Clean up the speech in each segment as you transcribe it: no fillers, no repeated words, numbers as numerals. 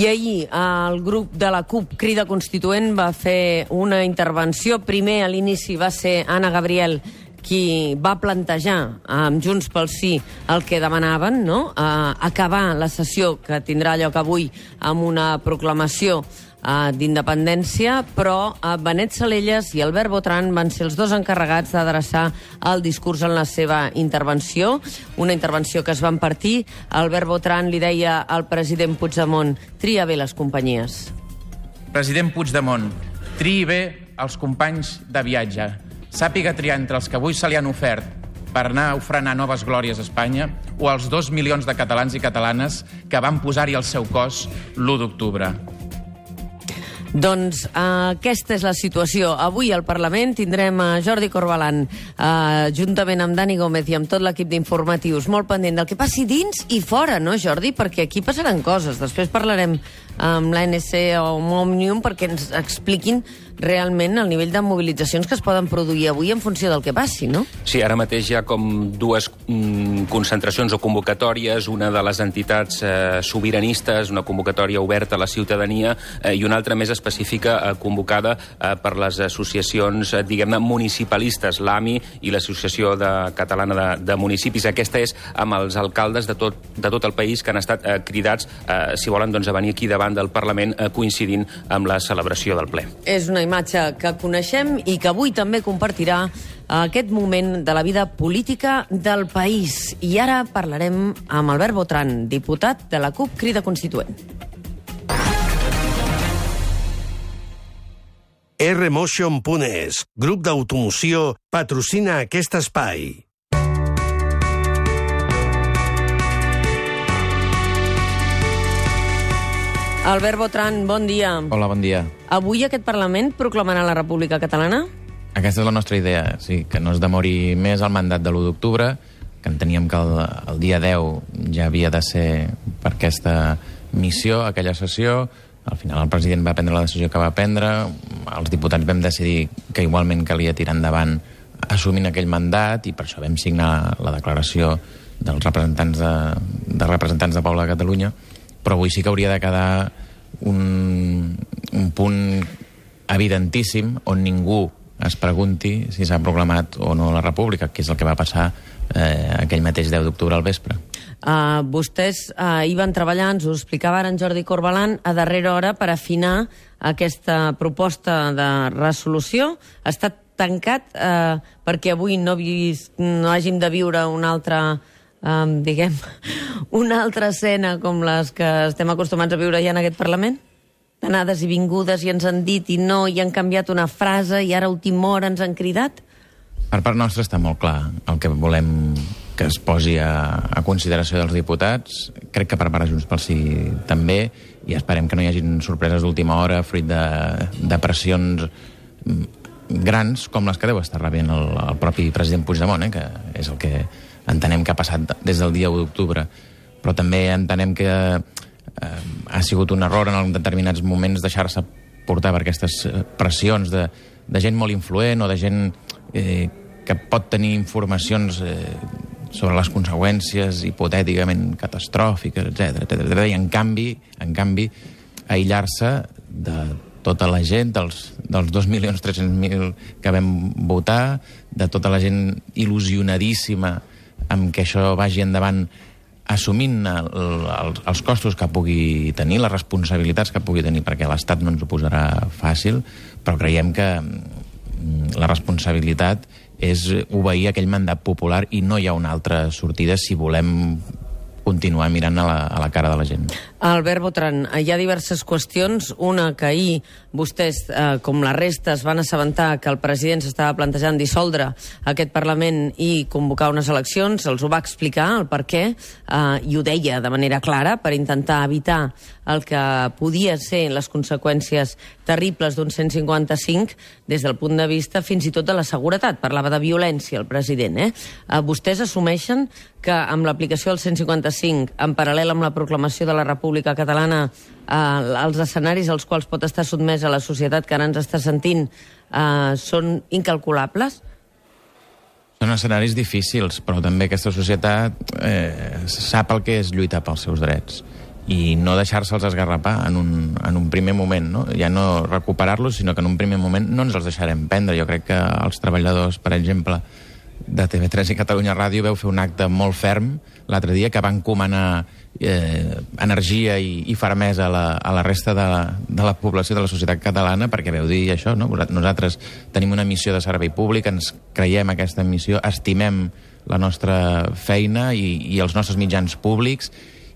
I ahir el grup de la CUP Crida Constituent va fer una intervenció. Primer, a l'inici, va ser Anna Gabriel qui va plantejar amb Junts pel Sí el que demanaven, no? Acabar la sessió que tindrà lloc avui amb una proclamació d'independència, però Benet Salellas i Albert Botran van ser els dos encarregats d'adreçar el discurs en la seva intervenció, una intervenció que es van partir. Albert Botran li deia al president Puigdemont: tria bé les companyies. President Puigdemont, triï bé els companys de viatge. Sàpiga triar entre els que avui se li han ofert per anar a ofrenar noves glòries a Espanya o els 2 milions de catalans i catalanes que van posar-hi el seu cos l'1 d'octubre. Doncs aquesta és la situació. Avui al Parlament tindrem a Jordi Corbalan, juntament amb Dani Gómez i amb tot l'equip d'informatius, molt pendent del que passi dins i fora, no, Jordi? Perquè aquí passaran coses. Després parlarem amb l'ANC o amb Òmnium perquè ens expliquin realment el nivell de mobilitzacions que es poden produir avui en funció del que passi, no? Sí, ara mateix hi ha com dues concentracions o convocatòries, una de les entitats sobiranistes, una convocatòria oberta a la ciutadania, i una altra més específica convocada per les associacions, diguem-ne, municipalistes, l'AMI i l'Associació Catalana de Municipis. Aquesta és amb els alcaldes de tot el país que han estat cridats, si volen, doncs, a venir aquí davant del Parlament coincidint amb la celebració del ple. És una imatge que coneixem i que avui també compartirà aquest moment de la vida política del país. I ara parlarem amb Albert Botran, diputat de la CUP Crida Constituent. Rmotion.es, grup d'automoció, patrocina aquest espai. Albert Botran, bon dia. Hola, bon dia. Avui aquest Parlament proclamarà la República Catalana? Aquesta és la nostra idea, sí, que no es demori més el mandat de l'1 d'octubre, que enteníem que el dia 10 ja havia de ser per aquesta missió, aquella sessió. Al final el president va prendre la decisió que va prendre, els diputats vam decidir que igualment calia tirar endavant assumint aquell mandat i per això vam signar la declaració dels representants de Poble de Catalunya, però avui sí que hauria de quedar un punt evidentíssim on ningú es pregunti si s'ha proclamat o no la República, que és el que va passar aquell mateix 10 d'octubre al vespre. Vostès hi van treballar, ens ho explicava ara en Jordi Corbalan, a darrera hora per afinar aquesta proposta de resolució. Ha estat tancat perquè avui no hàgim de viure una altra escena com les que estem acostumats a viure ja en aquest Parlament? Anades i vingudes i ens han dit i no, i han canviat una frase i ara a última hora ens han cridat? Per part nostra està molt clar el que volem que es posi a consideració dels diputats. Crec que per part de Junts pel Sí també, i esperem que no hi hagin sorpreses d'última hora fruit de pressions grans com les que deu estar rebent el propi president Puigdemont, que és el que entenem que ha passat des del dia 1 d'octubre. Però també entenem que ha sigut un error en determinats moments deixar-se portar per aquestes pressions de gent molt influent o de gent que pot tenir informacions sobre les conseqüències hipotèticament catastròfiques, etc. I en canvi aïllar-se de tota la gent, dels 2.300.000 que vam votar, de tota la gent il·lusionadíssima amb que això vagi endavant, assumint els costos que pugui tenir, les responsabilitats que pugui tenir, perquè l'Estat no ens ho posarà fàcil, però creiem que la responsabilitat és obeir aquell mandat popular i no hi ha una altra sortida si volem continuar mirant a la cara de la gent. Albert Botran, hi ha diverses qüestions. Una, que ahir vostès, com la resta, es van assabentar que el president s'estava plantejant dissoldre aquest Parlament i convocar unes eleccions. Els ho va explicar, el per què, i ho deia de manera clara per intentar evitar el que podia ser les conseqüències terribles d'un 155 des del punt de vista fins i tot de la seguretat. Parlava de violència el president. Vostès assumeixen que amb l'aplicació del 155, en paral·lel amb la proclamació de la República Catalana, els escenaris als quals pot estar sotmesa la societat que ara ens està sentint són incalculables? Són escenaris difícils, però també aquesta societat sap el que és lluitar pels seus drets. i no deixar-se'ls esgarrapar en un primer moment, no? Ja no recuperar-los, sinó que en un primer moment no ens els deixarem prendre. Jo crec que els treballadors, per exemple, de TV3 i Catalunya Ràdio veu fer un acte molt ferm l'altre dia que va encomanar energia i fermesa a la resta de la població de la societat catalana, perquè veu dir això, no? Nosaltres tenim una missió de servei públic, ens creiem aquesta missió, estimem la nostra feina i els nostres mitjans públics,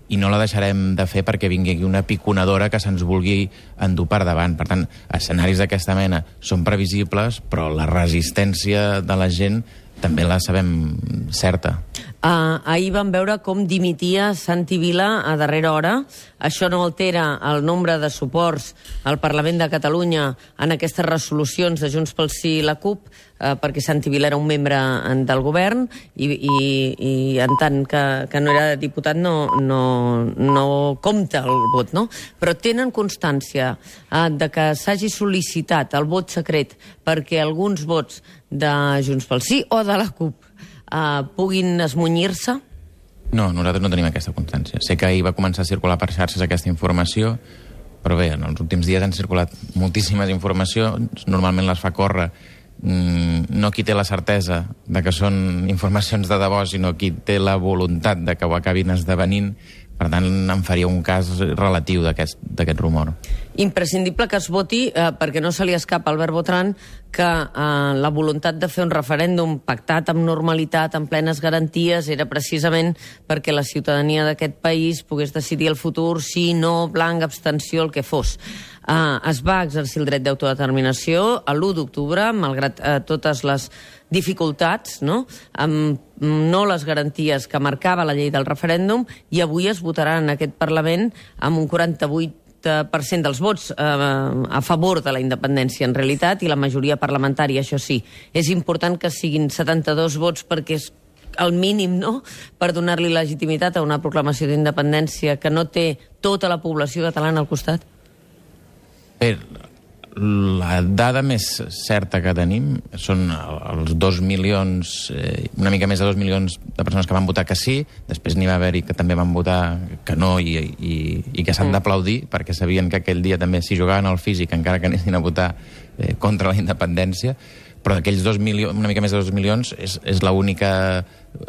i no la deixarem de fer perquè vingui aquí una piconadora que se'ns vulgui endur per davant. Per tant, escenaris d'aquesta mena són previsibles, però la resistència de la gent també la sabem certa. Ahir vam veure com dimitia Santi Vila a darrera hora. Això no altera el nombre de suports al Parlament de Catalunya en aquestes resolucions de Junts pel Sí i la CUP, perquè Santi Vila era un membre del govern i en tant que no era diputat no compta el vot, no? Però tenen constància de que s'hagi sol·licitat el vot secret perquè alguns vots de Junts pel Sí o de la CUP puguin esmunyir-se? No, nosaltres no tenim aquesta constància. Sé que ahir va començar a circular per xarxes aquesta informació, però bé, en els últims dies han circulat moltíssimes informacions, normalment les fa córrer no qui té la certesa de que són informacions de debò, sinó qui té la voluntat de que ho acabin esdevenint. Per tant, em faria un cas relatiu d'aquest rumor. Imprescindible que es voti, perquè no se li escapa a Albert Botran, que la voluntat de fer un referèndum pactat amb normalitat, amb plenes garanties, era precisament perquè la ciutadania d'aquest país pogués decidir el futur, sí, no, blanc, abstenció, el que fos. Es va exercir el dret d'autodeterminació l'1 d'octubre, malgrat totes les dificultats, no? Amb no les garanties que marcava la llei del referèndum, i avui es votarà en aquest Parlament amb un 48% dels vots a favor de la independència en realitat, i la majoria parlamentària, això sí. És important que siguin 72 vots perquè és el mínim, no?, per donar-li legitimitat a una proclamació d'independència que no té tota la població catalana al costat. Bé, la dada més certa que tenim són els 2 milions, una mica més de 2 milions de persones que van votar que sí, després n'hi va haver-hi que també van votar que no i que s'han d'aplaudir, perquè sabien que aquell dia també s'hi jugaven al físic, encara que anessin a votar contra la independència, però d'aquells 2 milions, una mica més de 2 milions, és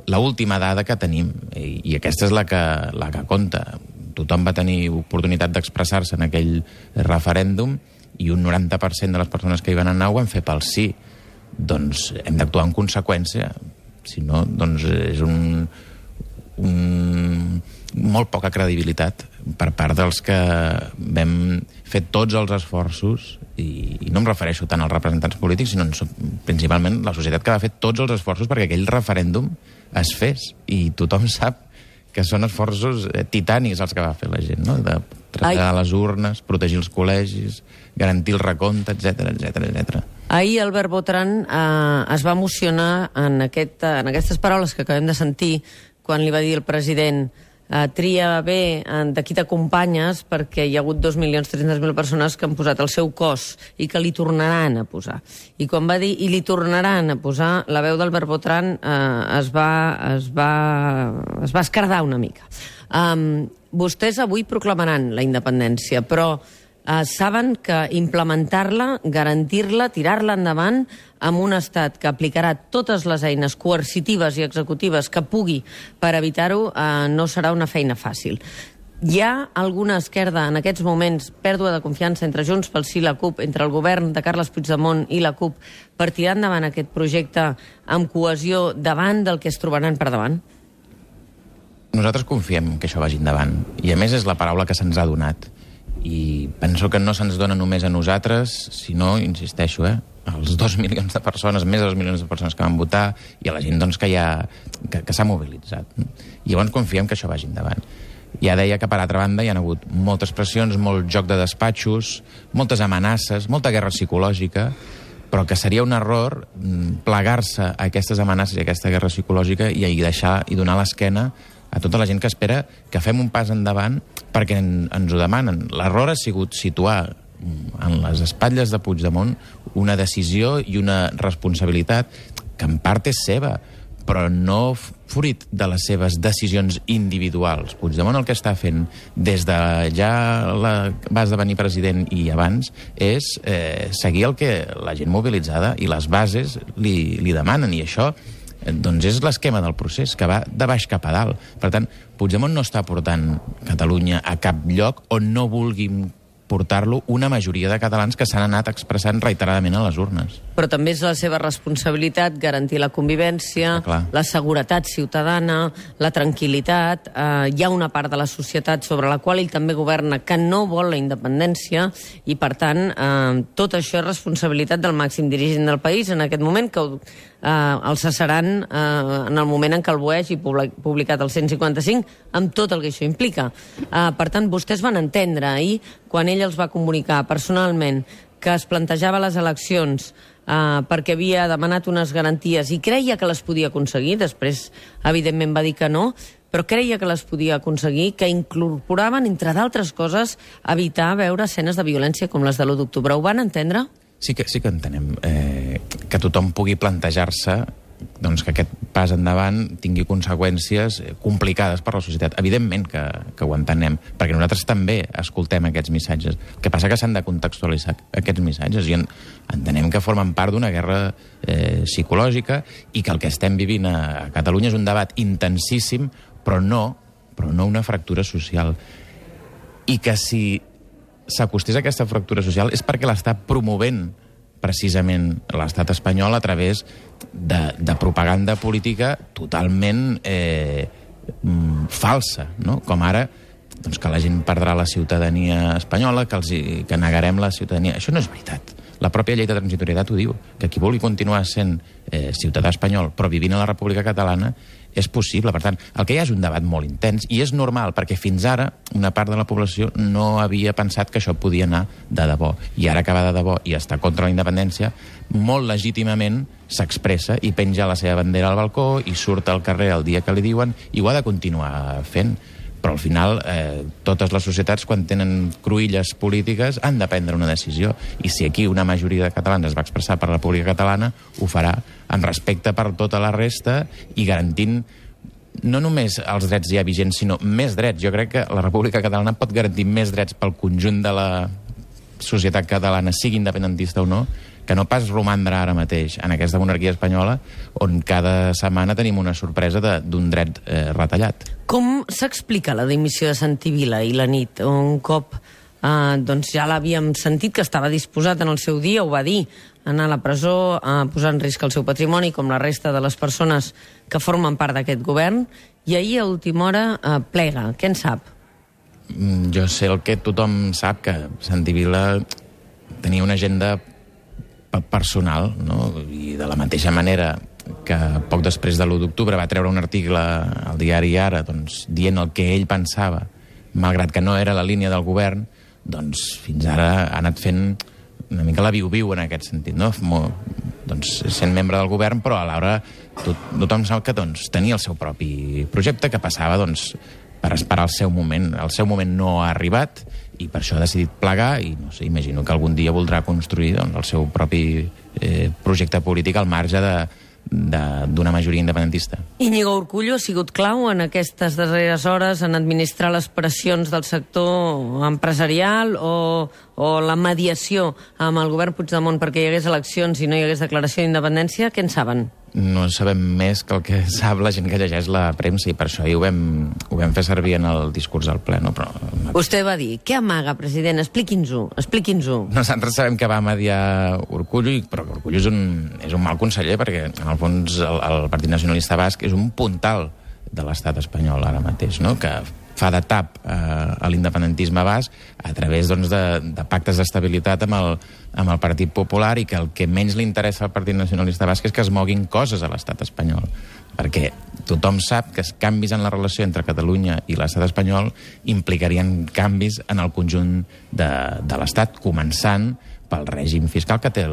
l'última dada que tenim, i aquesta és la que compta. Tothom va tenir oportunitat d'expressar-se en aquell referèndum, i un 90% de les persones que hi van anar ho van fer pel sí. Doncs hem d'actuar en conseqüència. Si no, doncs és molt poca credibilitat per part dels que vam fer tots els esforços, i no em refereixo tant als representants polítics, sinó principalment la societat que va fer tots els esforços perquè aquell referèndum es fes, i tothom sap que són esforços titànics els que va fer la gent, no? De traslladar les urnes, protegir els col·legis, garantir el recompte, etc. Ahir Albert Botran es va emocionar en aquestes paraules que acabem de sentir quan li va dir el president tria bé de qui t'acompanyes, perquè hi ha hagut 2.300.000 persones que han posat el seu cos i que li tornaran a posar. I quan va dir i li tornaran a posar, la veu d'Albert Botran es va escardar una mica. Vostès avui proclamaran la independència, però saben que implementar-la, garantir-la, tirar-la endavant amb un estat que aplicarà totes les eines coercitives i executives que pugui per evitar-ho no serà una feina fàcil. Hi ha alguna esquerda en aquests moments, pèrdua de confiança entre Junts pel Sí i la CUP, entre el govern de Carles Puigdemont i la CUP, per tirar endavant aquest projecte amb cohesió davant del que es trobaran per davant? Nosaltres confiem que això vagi endavant, i a més és la paraula que se'ns ha donat. I penso que no se'ns dona només a nosaltres, sinó, insisteixo, als 2 milions de persones, més de 2 milions de persones que van votar, i a la gent doncs, que s'ha mobilitzat. I llavors confiem que això vagi endavant. Ja deia que, per altra banda, hi ha hagut moltes pressions, molt joc de despatxos, moltes amenaces, molta guerra psicològica, però que seria un error plegar-se a aquestes amenaces i a aquesta guerra psicològica i deixar i donar l'esquena a tota la gent que espera que fem un pas endavant perquè ens ho demanen. L'error ha sigut situar en les espatlles de Puigdemont una decisió i una responsabilitat que en part és seva, però no fruit de les seves decisions individuals. Puigdemont el que està fent des de ja va esdevenir president i abans és seguir el que la gent mobilitzada i les bases li demanen, i això doncs és l'esquema del procés, que va de baix cap a dalt. Per tant, Puigdemont no està portant Catalunya a cap lloc on no vulguin portar-lo una majoria de catalans que s'han anat expressant reiteradament a les urnes. Però també és la seva responsabilitat garantir la convivència, la seguretat ciutadana, la tranquil·litat. Hi ha una part de la societat sobre la qual ell també governa que no vol la independència i, per tant, tot això és responsabilitat del màxim dirigent del país en aquest moment, que el cessaran en el moment en què el BOE hagi publicat el 155, amb tot el que això implica. Per tant, vostès van entendre ahir, quan ell els va comunicar personalment que es plantejava les eleccions perquè havia demanat unes garanties i creia que les podia aconseguir, després evidentment va dir que no, però creia que les podia aconseguir, que incorporaven, entre d'altres coses, evitar veure escenes de violència com les de l'1 d'octubre. Ho van entendre? Sí que entenem que tothom pugui plantejar-se doncs, que aquest pas endavant tingui conseqüències complicades per la societat. Evidentment que ho entenem, perquè nosaltres també escoltem aquests missatges. El que passa que s'han de contextualitzar aquests missatges i entenem que formen part d'una guerra psicològica i que el que estem vivint a Catalunya és un debat intensíssim, però no una fractura social. I que si s'acostés a aquesta fractura social és perquè l'està promovent precisament l'estat espanyol a través de propaganda política totalment falsa, no? Com ara doncs, que la gent perdrà la ciutadania espanyola, que negarem la ciutadania. Això no és veritat. La pròpia llei de transitorietat ho diu, que qui vulgui continuar sent ciutadà espanyol però vivint a la República Catalana és possible. Per tant, el que hi ha és un debat molt intens i és normal, perquè fins ara una part de la població no havia pensat que això podia anar de debò. I ara que va de debò i està contra la independència, molt legítimament s'expressa i penja la seva bandera al balcó i surt al carrer el dia que li diuen i ho ha de continuar fent. Però al final totes les societats, quan tenen cruïlles polítiques, han de prendre una decisió. I si aquí una majoria de catalans es va expressar per la República Catalana, ho farà en respecte per tota la resta i garantint no només els drets ja vigents, sinó més drets. Jo crec que la República Catalana pot garantir més drets pel conjunt de la societat catalana, sigui independentista o no, que no pas romandre ara mateix en aquesta monarquia espanyola on cada setmana tenim una sorpresa d'un dret retallat. Com s'explica la dimissió de Santi Vila i la nit? Un cop doncs ja l'havíem sentit que estava disposat en el seu dia, ho va dir, a anar a la presó, a posar en risc el seu patrimoni, com la resta de les persones que formen part d'aquest govern, i ahir a última hora plega. Què en sap? Jo sé el que tothom sap, que Santi Vila tenia una agenda personal, no? I de la mateixa manera que poc després de l'1 d'octubre va treure un article al diari Ara dient el que ell pensava, malgrat que no era la línia del govern, doncs fins ara ha anat fent una mica la viu-viu en aquest sentit, no? Sent membre del govern, però alhora tothom sap que tenia el seu propi projecte, que passava per esperar el seu moment. El seu moment no ha arribat i per això ha decidit plegar i no sé, imagino que algun dia voldrà construir el seu propi projecte polític al marge d'una majoria independentista. Íñigo Urkullu ha sigut clau en aquestes darreres hores en administrar les pressions del sector empresarial o la mediació amb el govern Puigdemont perquè hi hagués eleccions i no hi hagués declaració d'independència. Què en saben? No sabem més que el que sap la gent que llegeix la premsa i per això ho vam fer servir en el discurs al ple. No? Però... Vostè va dir, què amaga, president? Expliqui'ns-ho. Nosaltres sabem que va mediar Urkullu, però Urkullu és un mal conseller perquè, en el fons, el Partit Nacionalista Basc és un puntal de l'estat espanyol ara mateix, no? Que fa de tap a l'independentisme basc a través de pactes d'estabilitat amb el Partit Popular i que el que menys li interessa al Partit Nacionalista Basc és que es moguin coses a l'estat espanyol. Perquè tothom sap que els canvis en la relació entre Catalunya i l'estat espanyol implicarien canvis en el conjunt de l'estat, començant pel règim fiscal que té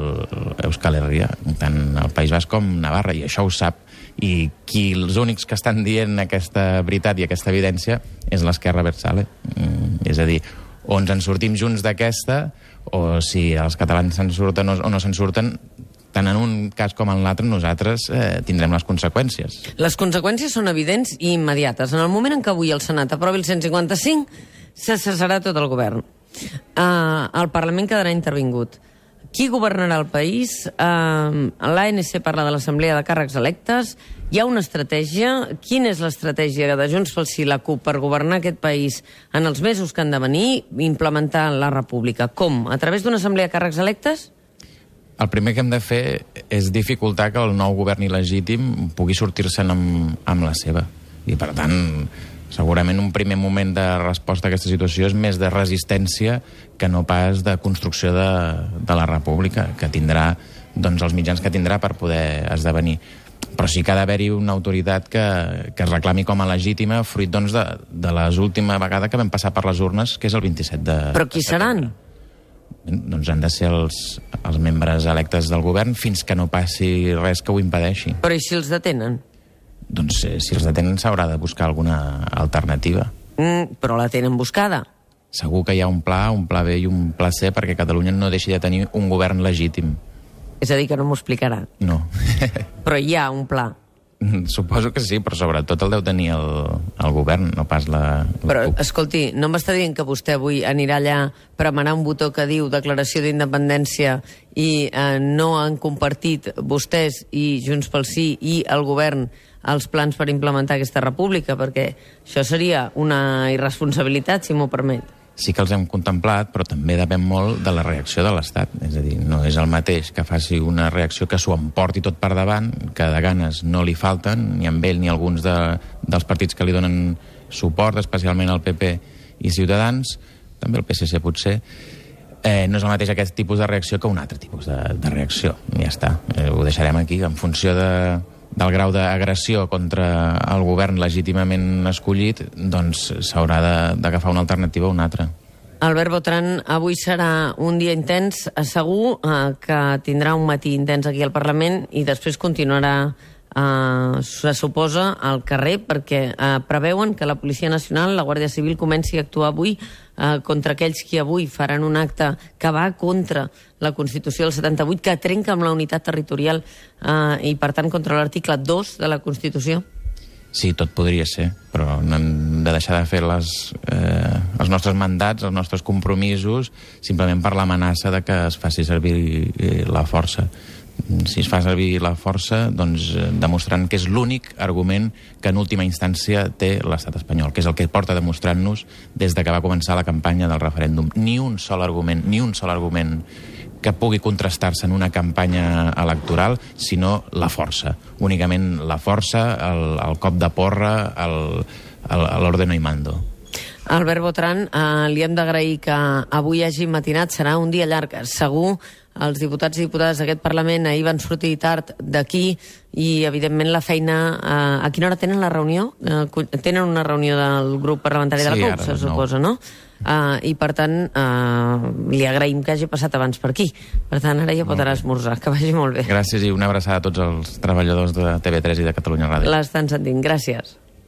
Euskal Herria, tant el País Basc com Navarra, i això ho sap. I els únics que estan dient aquesta veritat i aquesta evidència és l'esquerra abertzale. És a dir, o ens en sortim junts d'aquesta, o si els catalans se'n surten o no se'n surten, tant en un cas com en l'altre nosaltres tindrem les conseqüències. Les conseqüències són evidents i immediates. En el moment en què avui el Senat aprovi el 155, se cessarà tot el govern. El Parlament quedarà intervingut. Qui governarà el país? L'ANC parla de l'Assemblea de Càrrecs Electes. Hi ha una estratègia. Quina és l'estratègia de Junts pel Sí i la CUP per governar aquest país en els mesos que han de venir i implementar la república? Com? A través d'una assemblea de càrrecs electes? El primer que hem de fer és dificultar que el nou govern il·legítim pugui sortir-se'n amb la seva. I, per tant, segurament un primer moment de resposta a aquesta situació és més de resistència que no pas de construcció de la república, que tindrà els mitjans que tindrà per poder esdevenir. Però sí que ha d'haver-hi una autoritat que es reclami com a legítima fruit de l'última vegada que vam passar per les urnes, que és el 27 de Però qui seran? Doncs han de ser els membres electes del govern fins que no passi res que ho impedeixi. Però i si els detenen? Doncs si els detenen s'haurà de buscar alguna alternativa. Però la tenen buscada. Segur que hi ha un pla B i un pla C perquè Catalunya no deixi de tenir un govern legítim. És a dir, que no m'ho explicarà. No. Però hi ha un pla. Suposo que sí, però sobretot el deu tenir el govern, no pas la Però, CUP. escolti, no m'està dient que vostè avui anirà allà a premenar un botó que diu declaració d'independència i no han compartit vostès i Junts pel Sí i el govern els plans per implementar aquesta república, perquè això seria una irresponsabilitat, si m'ho permet. Sí que els hem contemplat, però també depèn molt de la reacció de l'Estat. És a dir, no és el mateix que faci una reacció que s'ho emporti tot per davant, que de ganes no li falten, ni amb ell ni alguns dels partits que li donen suport, especialment el PP i Ciutadans, també el PSC potser. No és el mateix aquest tipus de reacció que un altre tipus de reacció. Ja està, ho deixarem aquí, en funció del grau d'agressió contra el govern legítimament escollit, doncs s'haurà d'agafar una alternativa o una altra. Albert Botran, avui serà un dia intens, segur que tindrà un matí intens aquí al Parlament i després continuarà, se suposa, al carrer, perquè preveuen que la Policia Nacional, la Guàrdia Civil, comenci a actuar avui contra aquells qui avui faran un acte que va contra la Constitució del 78, que trenca amb la unitat territorial i, per tant, contra l'article 2 de la Constitució? Sí, tot podria ser, però no hem de deixar de fer els nostres mandats, els nostres compromisos, simplement per l'amenaça de que es faci servir la força. Si es fa servir la força, doncs demostrant que és l'únic argument que en última instància té l'estat espanyol, que és el que porta demostrant-nos des de que va començar la campanya del referèndum. Ni un sol argument que pugui contrastar-se en una campanya electoral, sinó la força. Únicament la força, el cop de porra, l'ordeno y mando. Albert Botran, li hem d'agrair que avui hagi matinat, serà un dia llarg, segur. Els diputats i diputades d'aquest Parlament ahir van sortir tard d'aquí i, evidentment, la feina... A quina hora tenen la reunió? Tenen una reunió del grup parlamentari de la CUP, se suposa, no? I, per tant, li agraïm que hagi passat abans per aquí. Per tant, ara ja pot anar a esmorzar. Que vagi molt bé. Gràcies i una abraçada a tots els treballadors de TV3 i de Catalunya Ràdio. L'estan sentint. Gràcies.